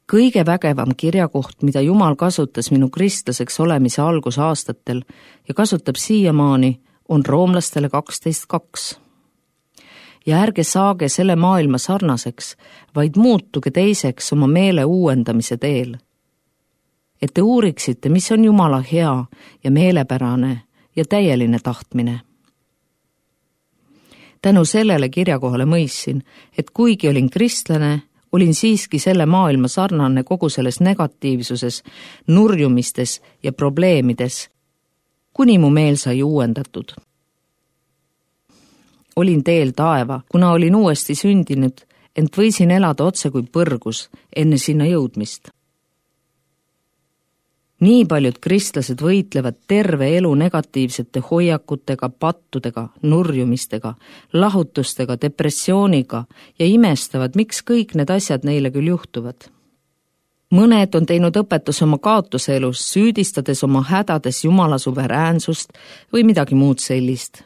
Kõige vägevam kirjakoht, mida Jumal kasutas minu kristlaseks olemise algusaastatel ja kasutab siiamaani, on Roomlastele 12:2. Ja ärge saage selle maailma sarnaseks, vaid muutuge teiseks oma meele uuendamise teel. Et te uuriksite, mis on Jumala hea ja meelepärane ja täieline tahtmine. Tänu sellele kirjakohale mõistsin, et kuigi olin kristlane, olin siiski selle maailma sarnane kogu selles negatiivsuses, nurjumistes ja probleemides, kuni mu meel sai uuendatud. Olin teel taeva, kuna olin uuesti sündinud, ent võisin elada otse kui põrgus enne sinna jõudmist. Nii paljud kristlased võitlevad terve elu negatiivsete hoiakutega, pattudega, nurjumistega, lahutustega, depressiooniga ja imestavad, miks kõik need asjad neile küll juhtuvad. Mõned on teinud õpetus oma kaotuse elus, süüdistades oma hädades Jumala suveräänsust või midagi muud sellist.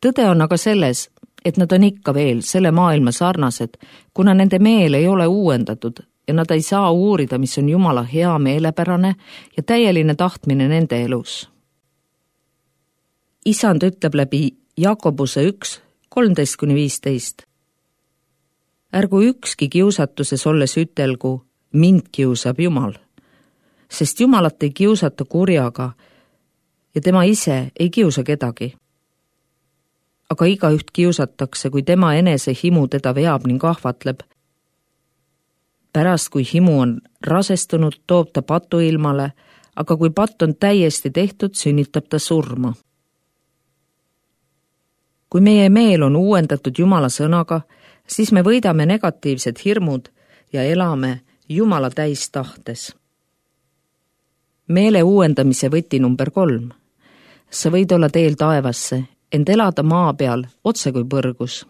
Tõde on aga selles, et nad on ikka veel selle maailma sarnased, kuna nende meel ei ole uuendatud ja nad ei saa uurida, mis on Jumala hea meelepärane ja täieline tahtmine nende elus. Isand ütleb läbi Jakobuse 1, 13-15. Ärgu ükski kiusatuses olles ütelgu, mind kiusab Jumal, sest Jumalat ei kiusata kurjaga ja tema ise ei kiusa kedagi. Aga igaüht kiusatakse, kui tema enese himu teda veab ning ahvatleb. Pärast, kui himu on rasestunud, toob ta patu ilmale, aga kui patt on täiesti tehtud, sünnitab ta surma. Kui meie meel on uuendatud Jumala sõnaga, siis me võidame negatiivsed hirmud ja elame Jumala täistahtes. Meele uuendamise võti number 3. Sa võid olla teel taevasse, ent elada maa peal otse kui põrgus.